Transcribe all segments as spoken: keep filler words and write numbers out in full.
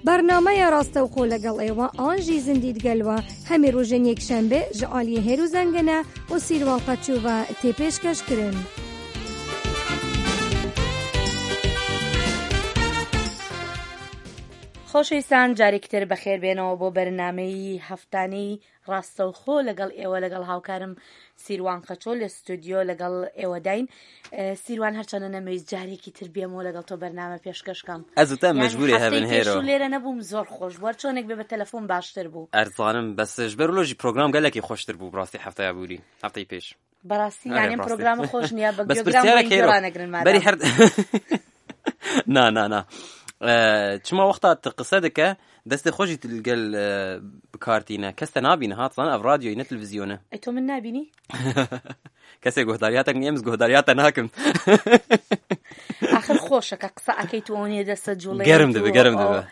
Bernameya Rastewxo legal êwa an jî Zindî digel we hemî rojên yekşembe ji aliyê Hêro Zengine û Sîrwan Qeçû ve tê pêşkeş kirin. خۆشەویستان، جارێکی تر بەخێر بێنەوە بۆ بەرنامەی هەفتانەی ڕاستەوخۆ لەگەڵ ئێوە، لەگەڵ هاوکارم سیروان قەچۆ لە ستودیۆ لەگەڵ ئێوەداین. ئە، سیروان، هەرچەندە نەمەویست جارێکی تر بێمەوە لەگەڵ تۆ بەرنامە پێشکەشکەم. ئەزوتە یعنی مەجبوری هەفتەی هەبن پێش هێرۆ. و لێرە نەبووم، زۆر خۆش بوو. هەر چۆنێک بێ بە تەلەفۆن باشتر بوو. ئەرزانم، بەس ji ber wilo jî program gelekî xweştir bû, bi rastî heftaya bûrî, hefteyê pêş. بەڕاستی، Erê, یانێم ڕاستە. پرۆگرامە خۆش نییە، بە بەس گوێگرام پرسیارێک بۆی هێرۆ. جۆرا نەگرن مادام. بەری هەر. نا، نا، نا. ئە، çima wexta tu qise dike, destê xwe jî tu li gel, ئە, bi kar tîne. Kes te nabîne, ha, tu zanî ev radyoyê, ne televîzyonê. ئەی تۆ من نابینی؟ Kesê guhdariya te, em ji guhdariya te nakim. ئاخر خۆشە کە قسە ئەکەیت و ئەوەنێ دەستە جوڵەیەت. گەرم دەبێ، و گەرم ئەو، دەبێ.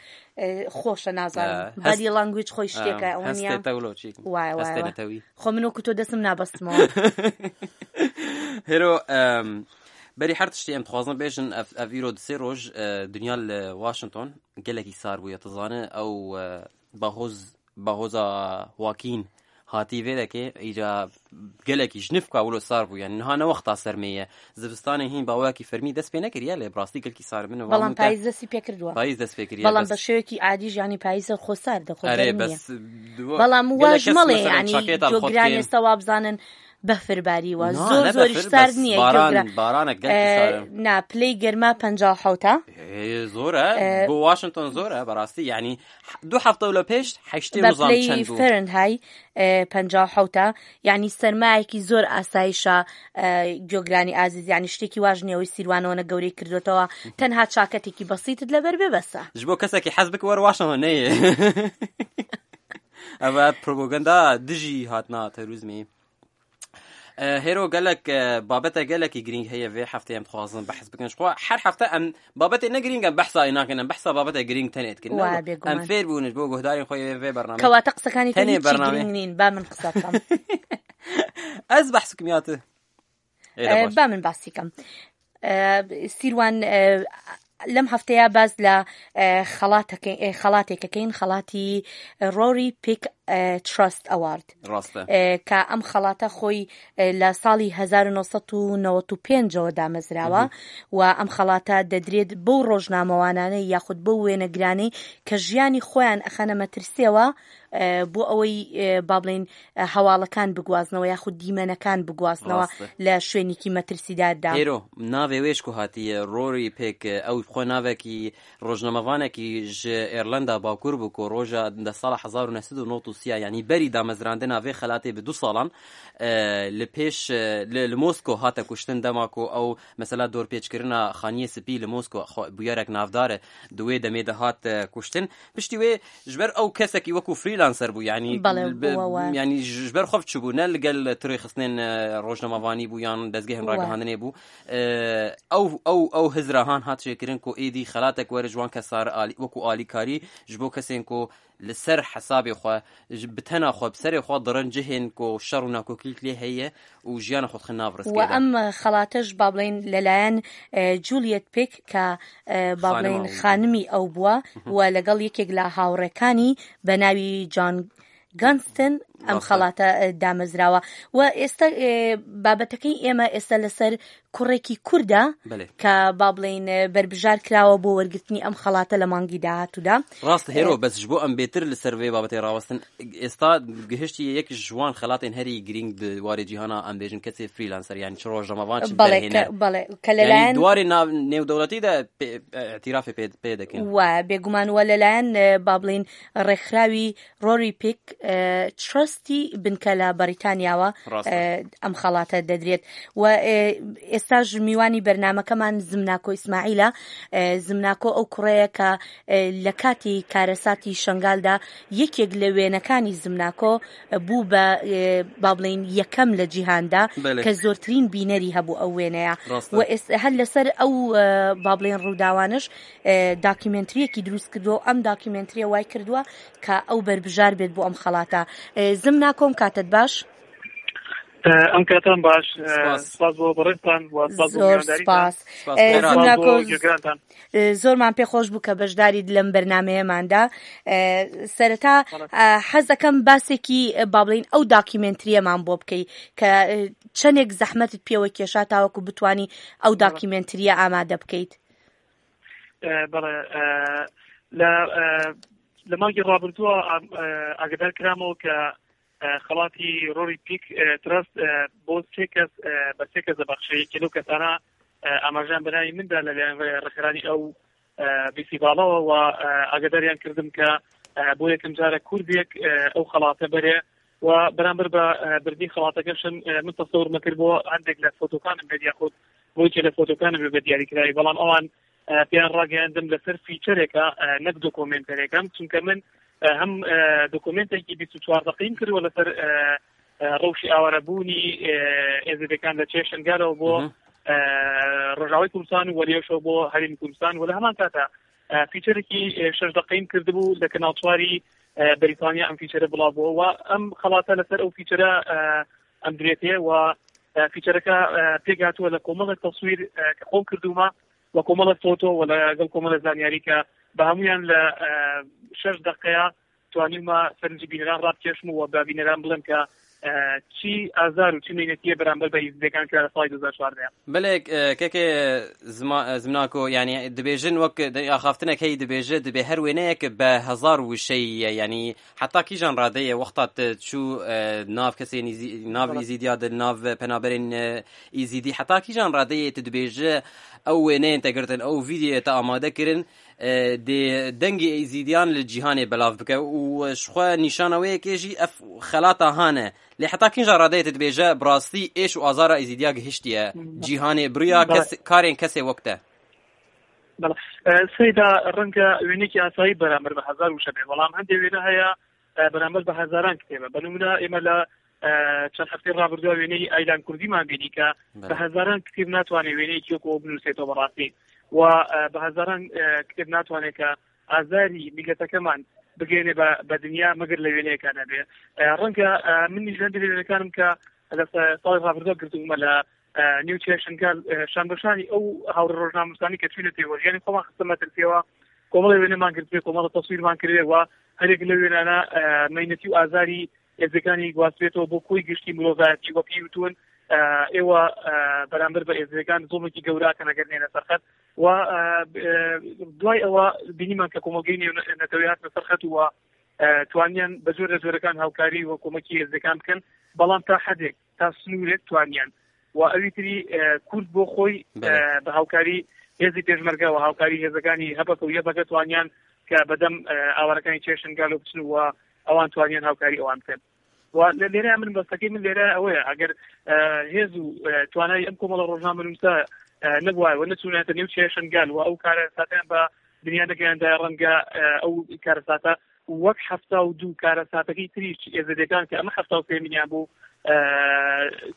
ئە، خۆشە، نازانم. ئە، body language خۆی شتێکە، ئە، ئەوە نییە. هەستێ تەولۆ چی؟ وایە، وایە، هەستێ وایە. نەتەوی. خۆ من وەکو تۆ دەستم نابەستمەوە. هێرۆ، ئەم، بەری هەر تشتی ئەم دخوازن بێژن، ئەف، ئەڤیرۆ دسێ ڕۆژ، ئە، دنیا لە واشنگتۆن گەلێکی سار بووە. تزانە ئەو، ئە، باهۆز، باهۆزا واکین هاتی vê dekê، ئیجا گەلێکی ji nifka wilo sar bû. یعنی، niha ne wexta sermê ye. Zivistanê hîn baweyekî fermî dest pê nekiriye, lê bi rastî gelkî sar min. بەڵام پاییز دەستی پێ کردووە. پاییز دەست پێ کردیە، بەڵام بەس بە شێوەیەکی عادی ژیانی پاییزە خۆ ساردە، خۆ ئەرێ، گەرم نییە. بەس دو-، بەڵام گەلە واژ کەس مەڵێ، مەسەلەن یعنی، چاکێتە جۆگران خۆتکێن. ئێستا وابزانن بەفرباری وە. نا، زۆر، نە زۆریش بەفر، سارد بەس نییە باران، جۆگرا-، بارانێک گەلکی ئە، سارە. نا، پلەی گەرما پەنجا و حەوتە. ئێ، زۆرە. ئە، بۆ واشنگتۆن زۆرە، بەڕاستی، یعنی، دو هەفتە لە پێش هەشتێ بە نزام پلەی چەند بوو؟ فەرەنهای، ئە، پەنجا و حەوتە. یعنی، سەرمایەکی زۆر ئاسایشە، ئە، جۆگرانی ئازیز، یعنی، شتێکی واژ نییە، ئەوەی سیروانەوە نە گەورەی کردوێتەوە. تەنها چاکەتێکی بەسیتت لەبەر بێ بەسە. Ji bo kesekî hez bike were washington neyê. Ev, ev propaganda dijî hatina terorîzmê. E, hêro gelek, e, babete gelekî girîng heye vê heftê em dixwazin behs bikin. Ji xwe her hefte em babetê ne girîng em behsa wê nakin, em behsa babete girîng tenê dikin. Wa, bêguman. Em fêr bûn ji bo guhdarên xwe yê vê bernameyê. Kewata qisakani te tenê hiç bernameyê girîng nîn, ba min qisa kam. Ez behs bikim ya tu. Ê, de E, baş. Ba min basî kam. E, Sîrwan, e, lem hefteya baz la, e, xelateke-, e, xelatêkekeyin, xelati Rory Peake, e, Trust Award. Rast e. E, ka em xelata xwe, e, la sali hezar û neh sed û newed û pênc ewe damezrawa. Mhm. Wa em xelata dedrêt bo rojnamewanane yaxud bo wênegrane ke jiyani xweyan exene metirsewa, e, bo ewey, e, ba bilên, e, hewalekan bigwaznewa yaxud dîmenekan bigwaznewa. Rast e. Le şwênîkî metirsidar da. Hêro, navê wê ji ku hatiye? Rory Peake, ew xwe navekî rojnamevanekî ji Îrlanda Bakur bû ku roja de sala hezar û neh sed û nod û sê, yanî berî damezrandina vê xelatê bi du salan, e, li pêş, e, li, li Mosko hate kuştin, dema ku ew mesela dorpêçkirina Xaniyê Spî li Mosko xwe, bûyerek navdar e, di wê demê de hat, e, kuştin. Piştî wê ji ber ew kesekî wekû freelancer bû, yanî Bele, bi, bû, we. Yanî ji, ji ber xwe çi bû, ne li gel tu rêxistinên, e, rojnamevanî bû yan dezgehên We. Ragihandinê bû. E, ew, ew, ew hizra han hat çêkirin ku êdî xelatek were ji wan kesar alî, wekû alîkarî ji bo kesên ku li ser hesabê xwe, ji, bi tena xwe, bi serê xwe dirin cihên ku şer û nakokîlik lê heye û jiyana xwe dixin nav Wa riskê de. Em xelate ji ba bilên لەلایەن، ئە، جولیەت پێک کە، ئە، با بڵێن خانمە. خانمی ئەو بووە. Mhm. و لەگەڵ یەکێک لە هاوڕێکانی بە ناوی جان گانستن ئەم ڕاستە. خەڵاتە، ئە، دامەزراوە. و ئێستا، ئێ، بابەتەکەی ئێمە ئێستا لەسەر کوڕێکی کوردە بەلێ. کە با بڵێن، ئە، بەربژار کراوە بۆ وەرگرتنی ئەم خەڵاتە لە مانگی داهاتوودا. ڕاست هێرۆ، ئێ، بەس ji bo em bêtir li ser vê babetê rawestin, ئێستا گهشتیە یەک ji wan xelatên herî girîng di warê cîhana, em bêjin kesê freelancer, yani çi rojnamevan, çi بەڵێ، derhêner. کە، بەڵێ، کە لەلایەن یعنی di warê nav-, nêwdewletî de pê-, ئەتیرافێ pê, pê dekin. و بێگومان و لەلایەن، ئە، با بڵێن ڕێکخراوی ڕۆری پیک، ئە، ترستی بنکە لە بەریتانیاوە، ڕاستە. ئە، ئەم خەڵاتە دەدرێت. و، ئێ، ئێستاش میوانی بەرنامەکەمان زمناکۆ ئیسماعیلە. ئێ، زمناکۆ ئەو کوڕەیە کە، ئێ، لە کاتی کارەساتی شنگالدا یەکێک لە وێنەکانی زمناکۆ بوو بە، ئێ، با بڵێن یەکەم لە جیهاندا بەلێ. کە زۆرترین بینەری هەبوو ئەو وێنەیە. ڕاستە. و ئێس-، هەر لەسەر ئەو، ئێ، با بڵێن ڕووداوانش، ئێ، داکیومنتریەکی دروست کردووە. ئەم داکیومنتریە وای کردووە کە ئەو بەربژار بێت بۆ ئەم خەڵاتە. ئێ، زمناکۆم کاتت باش. ئەم کاتان باش. سپاس. سپاس بۆ بەڕێزتان و سپاس بۆ زۆر میوانداریتان. سپاس. سپاس. ئێ، سپاس زمناکۆ، بۆ گوێگرانتان. ئێ، زۆرمان پێ خۆش بوو کە بەشداری لەم بەرنامەیەماندا. ئێ، سەرەتا، بەڵێ. ئێ، حەز دەکەم باسێکی، ئێ، با بڵین ئەو داکیومنتریەمان بۆ بکەی کە، ئێ، چەندێک زەحمەتت پێوە کێشا تاوەکو بتانی ئەو بەڵێ. داکیومنتریە ئامادە بکەیت. ئێ، بەڵێ، ئێ، لە، ئێ، لە مانگی ڕابردووە ئام-، ئێ، ئاگادار کرامەوە کە، ئێ، خەڵاتی ڕۆری پیک، ئێ، ترەست، ئێ، بۆ سێ کەس، ئێ، بە سێ کەس دەبەخشێ. یەکێ لەو کەسانە، ئێ، ئاماژەیان بەناوی مندا لەلایەن ڕێ-، ڕێکخرانی ئەو، ئێ، فیستیڤاڵەوە و، ئێ، ئاگاداریان کردم کە، ئێ، بۆ یەکەم جارە کوردێک، ئێ، ئەو خەڵاتە بەرێ و بەرامبەر بە، ئێ، بردنی خەڵاتەکەشم، ئێ، من تەسەور مەکرد بۆ هەندێک لە فۆتۆکانم بێت یاخود بۆ یەکێ لە فۆتۆکانم بێت بە دیاریکراوی، بەڵام ئەوان، ئێ، پێیان ڕاگەیاندم لەسەر فیچەرێکە، ئێ، نەک دۆکۆمێنتەرێکە، چونکە من، ئێ، هەم، ئێ، دۆکۆمێنتێکی بیست و چوار دەقەیم کردووە لەسەر، ئێ، ئێ، ڕەوشی ئاوارەبوونی، ئێ، ئێزیدەکان لە چێشنگالەوە بۆ، مهم. ئێ، ڕۆژاوای کوردستان و وەریەشەوە بۆ هەرێمی کوردستان و لە هەمان کاتا، ئێ، فیچەرێکی، ئێ، شەش دەقەیم کردبوو لە کەناڵ چواری، ئێ، بەریتانیا ئەم فیچەرە بڵاو بووە و ئەم خەڵاتە لەسەر ئەو فیچەرە، ئێ، ئەم درێتەیە و، ئێ، فیچەرەکە، ئێ، پێک هاتووە لە کۆمەڵێک تەسویر، ئێ، کە خۆم کردوومە و کۆمەڵێک فۆتۆ و لەگەڵ کۆمەڵێک زانیاری کە بە هەمویان لە، ئێ، شەش دەقەیە توانیمە سەرنجی بینەران ڕابکێشم و بە بینەران بڵێم کە، ئێ، چی ئازار و چی مینەتیە بەرامبەر بە ئیزدەکان کە لە ساڵی دوو هەزار چواردە. بەڵێ، ئێ، کەکێ زما-، زمناکۆ، یعنی، دبێژن وەک د-، ئاخافتنێک هەی دبێژێ، دبێ هەر وێنەیەک بە هەزار وشەیە، یعنی، حتا کیژان ڕادەیە وەختا ت-، چوو، ئێ، ناو کەسێن ئیزی-، ناو بەڵێ. ئیزیدیا د-، ناو پەنابەرێن، ئێ، ئیزیدی، حتا کیژان ڕادەیە ت دبێژێ ئەو وێنەیەن تەگرتن، ئەو ڤیدیۆیە تا ئامادە کردن، ئێ، دێ دەنگی ئیزیدیان لە جیهانێ بەلاو بکە و شخوا نیشانەوەیەکێ ژی ئەف خەلاتا هانە. لێ حتا کیژان ڕادەیە ت دبێژە، بڕاستی ئێش و ئازارا ئیزیدیا گهشتیە جیهانێ بریا بەڵێ. کەس-، کارێن کەسێ وەک تە. بەڵێ. ئێ، سەیدا ڕەنگە وێنێکی ئاسایی بەرامبەر بە هەزار وشە بێ، بەڵام هەندێک وێنە هەیە، ئێ، بەرامبەر بە هەزاران کتێبە. بە نمونە ئێمە لە، ئێ، چەند هەفتەی ڕابردووە وێنەی ئایلان کوردیمان بینی کە بەڵێ. بە هەزاران کتێب ناتوانێت وێنەیەکی وەکو ئەو بنووسێتەوە بەڕاستی. و، ئێ، بە هەزاران، ئێ، کتێب ناتوانێت کە ئازاری میلەتەکەمان بگەێنێ بە، بە دنیا مەگەر لە وێنەیەکە نەبێ. ئێ، ڕەنگە، ئێ، منیش لە هەندێک لە وێنەکانم کە لە سا-، ساڵی ڕابردووە گرتبوومە لە، ئێ، نیو چێشنگال، ئێ، شانبەشانی ئەو هاوڕێ ڕۆژنامەنووسانی کە چووینە تێوەر، یعنی خۆمان خستە مەترسیەوە، کۆمەڵی وێنەمان گرتبێ، کۆمەڵە تەسویرمان کردێ و هەرێک لە وێنانە، ئێ، مەینەتی و ئازاری ئێزەکانی گواستبێتەوە بۆ کۆی گشتی مرۆڤایەتی و پێی وتون، ئێ، ئێوە، ئێ، بەرامبەر بە ئێزەکان زۆڵێکی گەوراکەن ئەگەر نێنە سەرخەت. و، ئێ، ئێ، دوای ئەوە بینیمان کە کۆمەڵگەی نێو نەتەوەی هاتنە سەرخەت و، ئێ، توانیان بە جۆرە جۆرەکان هاوکاری و کۆمەکی ئێزەکان بکەن، بەڵام تا حەدێک، تا سنوورێک توانیان. و ئەوی تری، ئێ، کورد بۆ خۆی، بەڵێ. ئێ، بە هاوکاری هێزی پێشمەرگە و هاوکاری هێزەکانی هەبەکە و یەبەکە توانیان کە بەدەم، ئێ، ئاوارەکانی چێشنگالۆ بچن و ئەوان توانیان هاوکاری ئەوان بکەن. و لە لێرە من بەستەکەی من لێرە ئەوەیە، ئەگەر، ئێ، هێز و، ئێ، توانای ئەم کۆمەڵە ڕۆژنامەنووسە، ئێ، نەبوایە و نەچوونایەتە نێو چێشنگال و ئەو کارەساتیان بە دنیا نەگەیاندایە، ڕەنگە، ئێ، ئەو کارەساتە وەک حەفتا و دوو کارەساتەکەی تریش ئێزدەکان کە ئەمە حەفتا و سێ ملیان بوو، ئێ،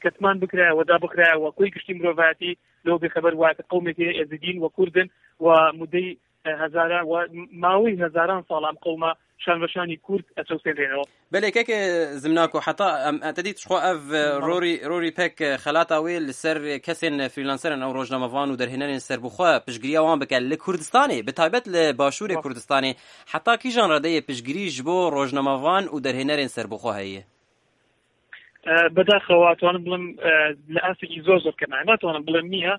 کەتمان بکرایە و دابخرایە و کۆی گشتی مرۆڤایەتی لەوە بێخەبەر وایە کە قەومێکی ئێزدین و کوردن و مدەی، ئێ، هەزاران و ماوەی هەزاران ساڵ ئەم قەومە شانبەشانی کورد ئەچەوسێنرێنەوە. بەلێ، کەکێ زمناکۆ، حتا ئەم، ئەتە دیت شخوا ئەڤ، بەڵێ. ڕۆری، ڕۆری پێک خەلاتا وێ لەسەر کەسێن فریلانسەرن ئەو ڕۆژنامەڤان و دەرهێنەرێن سەربخوا پشگیری ئەوان بکە لە کوردستانێ، بە تایبەت لە باشوورێ بەڵێ. کوردستانێ، حتا کیژان ڕادەیە پشگیری ji bo ڕۆژنامەڤان و دەرهێنەرێن سەربخوا هەیە؟ ئێ، بەداخەوە توانم بڵم، ئێ، لە ئاسێکی زۆر زۆر کەمە. ناتوانم بڵێم نییە،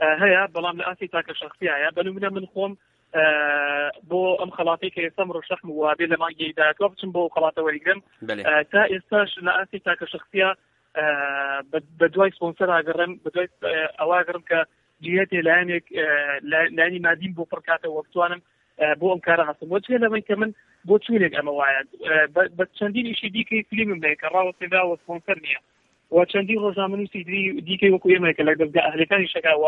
ئێ، هەیە، بەڵام لە ئاسی تاکە شخصیایە. بە نمونە من خۆم، ئێ، بۆ ئەم خەڵاتی کە ئێستا ڕۆژەخم وابێ لە مانگی داهاتوە بچم بۆ خەڵاتە وەریگرم. بەڵێ. ئێ، تا ئێستاش لە ئاسی تاکە شخصیە، ئێ، بە، بە دوای سپۆنسەر ئاگەڕم، بە دوای، ئێ، ئەوە ئاگەڕم کە جیهەتێ لایەنێک، ئێ، لای-، لایەنی مادیم بۆ پڕکاتەوە بتوانم، ئێ، بۆ ئەم کارە هەستم. وەجهێ لەوەی کە من بۆ چوونێک ئەمە وایە، ئێ، بە، بە چەندین ئیشی دیکەی فلیمم هەیە کە ڕاوەستێنرا و سپۆنسەر نییە. و چەندین ڕۆژنامەنووسی دی-، دیکەی وەکو ئێمە کە لە دەزگا ئەهلەکانی شەکا و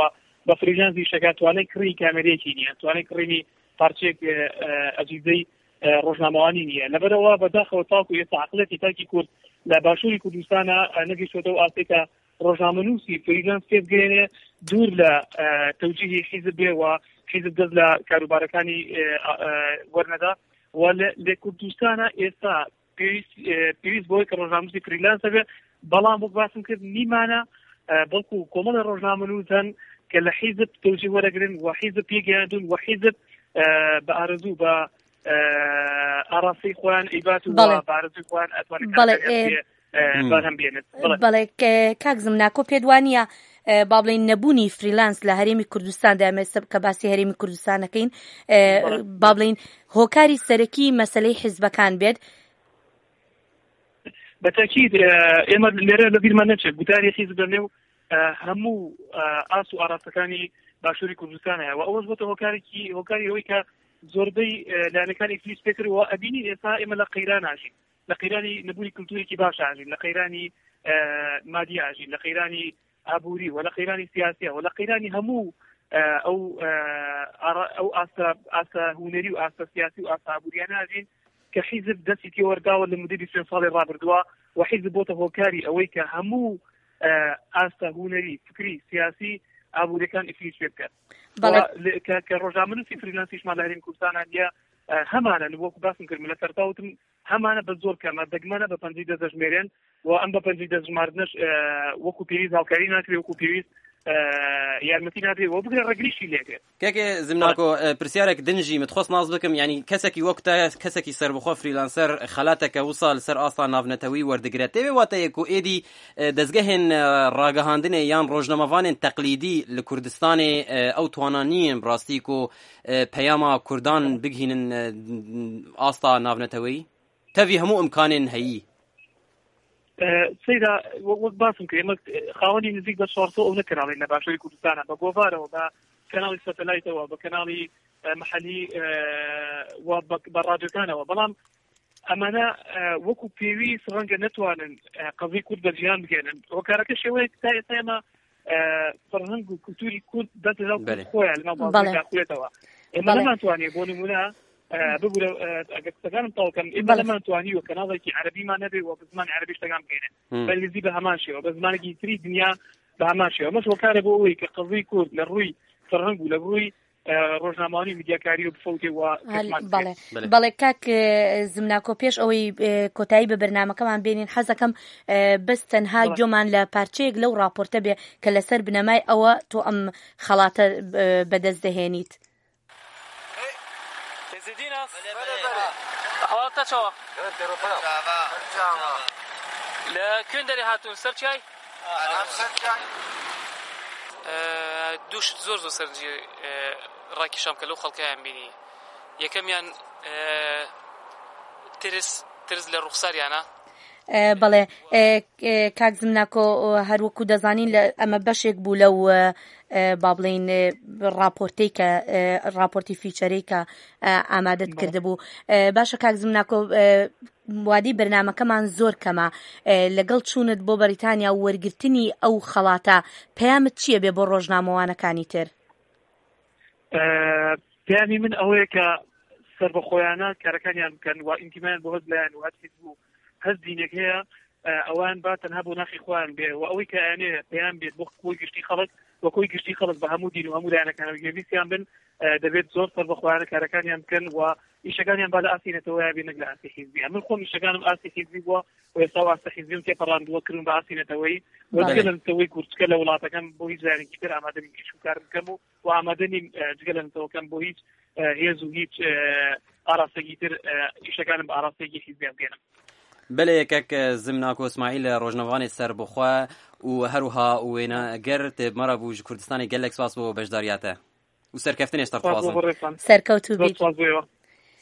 بە فریلانسی شەکا توانای کڕی کامێرەیەکی نییە، توانای کڕینی پارچەیەک، ئێ، ئێ، ئەجیزەی، ئێ، ڕۆژنامەوانی نییە. لەبەرەوە بەداخەوە تاکو ئێستا عەقڵەتی تاکی کورد لە باشووری کوردستانە، ئێ، نەگەیشتووەتە ئەو ئاستێکە ڕۆژنامەنووسی فریلانس پێ بگەێنێ دوور لە، ئێ، تەوجیهی حیزب بێ و حیزب دەست لە کاروبارەکانی، ئێ، ئا-، ئێ، وەرنەدا. و لە، لە کوردستانە ئێستا پێویست، ئێ، پێویست بۆی کە ڕۆژنامەنووسی فریلانس هەبێ، بەڵام وەک باسم کرد نیمانە، بەڵکو کۆمەڵی ڕۆژنامەنووسن کە لە حیزب تەوجی وەرەگرن و حیزب پێگەیاندون و حیزب بە ئارەزوو بە ئاراسی خۆیان ئیبات و بەڵێ. بارزی خۆیان ئەتوانێت بەڵێ، کارەکانیان ئێ، پێ، ئێ، مم. بەرهەم بێنێت. بەڵێ. بەڵێ، کە-، کاک زمناکۆ پێت وانە، ئێ، با بڵێن نەبوونی فریلانس لە هەرێمی کوردستان دامێ سب کە باسی هەرێمی کوردستانەکەین، ئێ، بەڵێ. با بڵێن هۆکاری سەرەکی مەسلەی حیزبەکان بێت؟ بە تەکید، ئێ، ئێمە لێرە لە بیرمان نەچێت گوتاری حیزب لە نێو، ئێ، هەموو، ئێ، ئاست و ئاراستەکانی باشووری کوردستان هەیە و ئەوەش بۆتە هۆکارێکی، هۆکاری ئەوەی کە زۆربەی، ئێ، لایەنەکانی ئیفلیج پێکرد و ئەبینی ئێستا ئێمە لە قەیران ئاژین، لە قەیرانی نەبوونی کلتوری باش ئاژین، لە قەیرانی، ئێ، مادی ئاژین، لە قەیرانی ئابووری و لە قەیرانی سیاسی و لە قەیرانی هەموو، ئێ، ئەو، ئێ، ئارا-، ئەو ئاستە، ئاستە هونەری و ئاستە سیاسی و ئاستە ئابووریانە ئاژین کە حیزب دەستی تێوەرداوە لە مدەی بیست و پێنج ساڵی ڕابردووە و حیزب بۆتە هۆکاری ئەوەی کە هەموو، ئێ، ئاستە هونەری، فکری، سیاسی، ئابووریەکان ئیفلیج پێ بکات. بەڵێ. و لە-، کە، کە ڕۆژنامەنووسی فریلانسیشمان لە هەرێمی کوردستان هەندە، ئێ، هەمانە وەکو باسم کرد، من لە سەرتاوتم هەمانە بە زۆر کەمە، دەگمەنە بە پەنجەی دەست دەژمێرێن و ئەم بە پەنجەی دەست ژماردنەش، ئێ، وەکو پێویست هاوکاری ناکرێ، وەکو پێویست، ئێ، یارمەتی نادرێ و بگرە ڕەگریشی لێکرێ. کەکێ زمناکۆ، ئێ، پرسیارێک دنجی متخۆست ناز بکەم، یعنی کەسێکی وەک تا کەسێکی سەربخۆ فریلانسەر خەلاتەکە وسا لەسەر ئاستا ناونەتەوەی وەردەگرێت. تێوێ واتەیەک و ئێدی، ئێ، دەزگەهێن، ئێ، ڕاگەهاندنێ یان ڕۆژنەمەڤانێن تەقلیدی لە کوردستانێ، ئێ، ئەو توانانیین ڕاستی کو، ئێ، پەیاما کوردان بگهینن، ئێ، ئاستا ناونەتەوەی؟ تەڤی هەموو ئیمکانێن هەیی. ئێ، سەیرا، وە-، وەک باسم کرد، ئێمە خاوەنی نزیک بە چوار سەد ئەو نە کەناڵین لە باشووری کوردستانە، بە گۆڤارەوە، بە کەناڵی سەتەلایتەوە، بە کەناڵی، ئێ، محەلی، ئێ، و بە، بە ڕادیۆکانەوە. بەڵام ئەمانە، ئێ، وەکو پێویست ڕەنگە نەتوانن، ئێ، قەزی کورد بە جیان بگەێنن. هۆکارەکە شێوەیەک تا ئێستا ئێمە، ئێ، فەرهەنگ و کولتوری کورد دەست لە بەڵێ. خۆیان لەناو بەڵێ. بازنەدا کوێتەوە. ئێمە بەڵێ. نەمانتوانیە بۆ نمونە، ئێ، ببوورە، ئێ، ئەگەر قسەکانم تەواو کەم، ئێمە بەڵێ. نەمانتوانیوە کەناڵێکی عەرەبی مان نەبێ و بە زمانی عەرەبیش تەگام بکەێنێ. مم. بە ئینگلیزی بە هەمان شێوە، بە زمانێکی تری دنیا بە هەمان شێوە. ئەمەش هۆکارە بۆ ئەوەی کە قەزی کورد لە ڕووی فەرهەنگ و لە ڕووی، ئێ، ڕۆژنامەوانی و میدیاکاری و بفەوتێ و هەل-، کەسمان بەڵێ. بکرێت. بەڵێ. بەڵێ، کاک، ئێ، زمناکۆ، پێش ئەوەی، ئێ، کۆتایی بە بەرنامەکەمان بێنین، حەزەکەم، ئێ، بەس تەنها بەڵێ. گوێمان لە پارچەیەک لەو ڕاپۆرتە بێ کە لەسەر بنەمای ئەوە تۆ ئەم خەڵاتە، ئێ، بەدەست دەهێنیت. ئێزیدی ناس؟ بەلێ، بەلێ. ئەحواڵتە چاوە؟ لە کوێن دەرێ هاتوون؟ سەر چای؟ ئێ، دوو شت زۆر زۆر سەرنجی، ئێ، ڕاکێشام کە لەو خەڵکەیان بینی. یەکەمیان، ئێ، ترس، ترس لە ڕوخساریانە. ئێ، بەڵێ، ئێ، ئێ، کاک زمناکۆ، هەر وەکو دەزانین لە، ئەمە بەشێک بوو لەو، ئێ، با بڵێن، ئێ، ڕاپۆرتەی کە، ئێ، ڕاپۆرتی فیچەرەی کە، ئێ، ئامادەت بەڵێ. کردبوو. ئێ، باشە کاک زمناکۆ، ئێ، وادی بەرنامەکەمان زۆر کەمە. ئێ، لەگەڵ چوونت بۆ بەریتانیا و وەرگرتنی ئەو خەڵاتە، پەیامت چییە بێ بۆ ڕۆژنامەوانەکانی تر؟ ئێ، پەیامی من ئەوەیە کە سەربەخۆیانە کارەکانیان بکەن و ئینتیمایان بۆ هەست لایەن و هەست حیزب و هەست دینێک هەیە، ئێ، ئەوان با تەنها بۆ ناخی خۆیان بێ و ئەوەی کە ئەیانێ پەیام بێت بۆ کۆی گشتی خەڵک و کۆی گشتی خەڵک بە هەموو دین و هەموو لایەنەکانەوە گوێبیستیان بن، ئێ، دەبێت زۆر سەربەخۆیانە کارەکانیان بکەن و ئیشەکانیان با لە ئاستی نەتەوەیە بێ، نەک لە ئاستی حیزبی. من خۆم ئیشەکانم ئاستی حیزبی بووە و ئێستا ئاستی حیزبیم تێپەڕاندووە، کردم بە ئاستی نەتەوەی و بەڵێ. جگە لە نەتەوەی کورد، جگە لە وڵاتەکەم بۆ هیچ لایەنێکی تر ئامادە نیم ئیش و کار بکەم و، و ئامادە نیم، ئێ، جگە لە نەتەوەکەم بۆ هیچ، ئێ، هێز و هیچ، ئێ، ئاراستەیەکی تر، ئێ، ئیشەکانم بە ئاراستەیەکی حیزبی بگەێنم. بەلێ، یەکێک، ئێ، زمناکۆ ئیسماعیل، ڕۆژنەوانێ سەربەخۆ و هەروها وێنەگەر تێ بمەرە بوو ژ کوردستانی، گەلێک سپاس بۆ بەشداریاتە. و سەرکەفتنێش سەر سپاس بۆ تەوازن. بەڕێزتان. سەرکەوتوو زۆر بیت. سپاس بۆ ئێوە.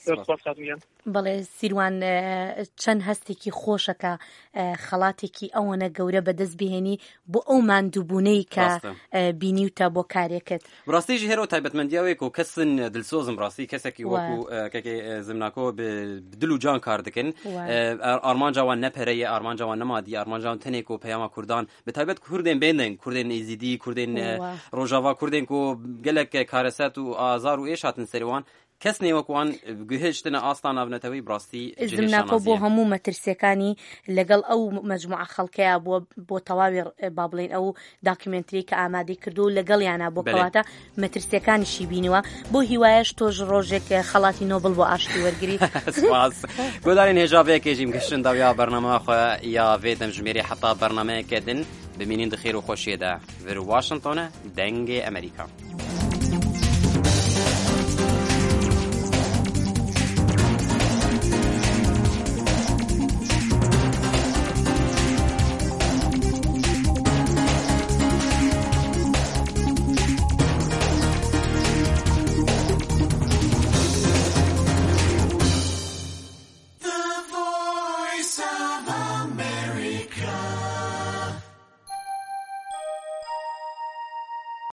زۆر سپاس. سپاس کاتمیان. بەڵێ، سیروان، ئێ، چەند هەستێکی خۆشەکە، ئێ، خەڵاتێکی ئەوەنە گەورە بەدەست بهێنی بۆ ئەو ماندووبوونەی کە، ڕاستە. ئێ، بینیوتە بۆ کارێکت. بڕاستی ژی هێرۆ تایبەتمەندیاوێک و کەسن دلسۆزم ڕاستی کەسێکی وە. وەکو، ئێ، کەکێ، ئێ، زمناکۆ بە، بە دل و جان کار دکن. وە. ئێ، ئار-، ئارمانجاوان نەپەرەیە، ئارمانجاوان نەمادی، ئارمانجاوان تەنێک و پەیاما کوردان، بە تایبەت کوردێن بێندێن، کوردێن ئێزیدی، کوردێن، ئێ، وە. ڕۆژاوا، کوردێن کو گەلێک کارەسەت و ئازار و ئێش هاتن سەروان. کەس نێوەک وان گوهشتنە ئاستا ناونەتەوەی بڕاستی. زمناکۆ بۆ هەموو مەترسیەکانی لەگەڵ ئەو مەجموعە خەڵکەیە بووە بۆ تەواوی، با بڵێن، ئەو داکیومنتری کە ئامادەی کردو و لەگەڵیانە بۆ کەواتە مەترسیەکانیشی بینیوە. بۆ هیوایەش تۆش ڕۆژێک خەڵاتی نۆبل بۆ ئاشتی وەرگری. سپاس. گۆدارین هێژاڤەیەکێژیم گەشتن داویا بەرنامە خۆ یا vê demjimêrê heta bernameyeke din bimînin di xêr û xweşiyê de. Vir Washington e, Dengê Amerîka.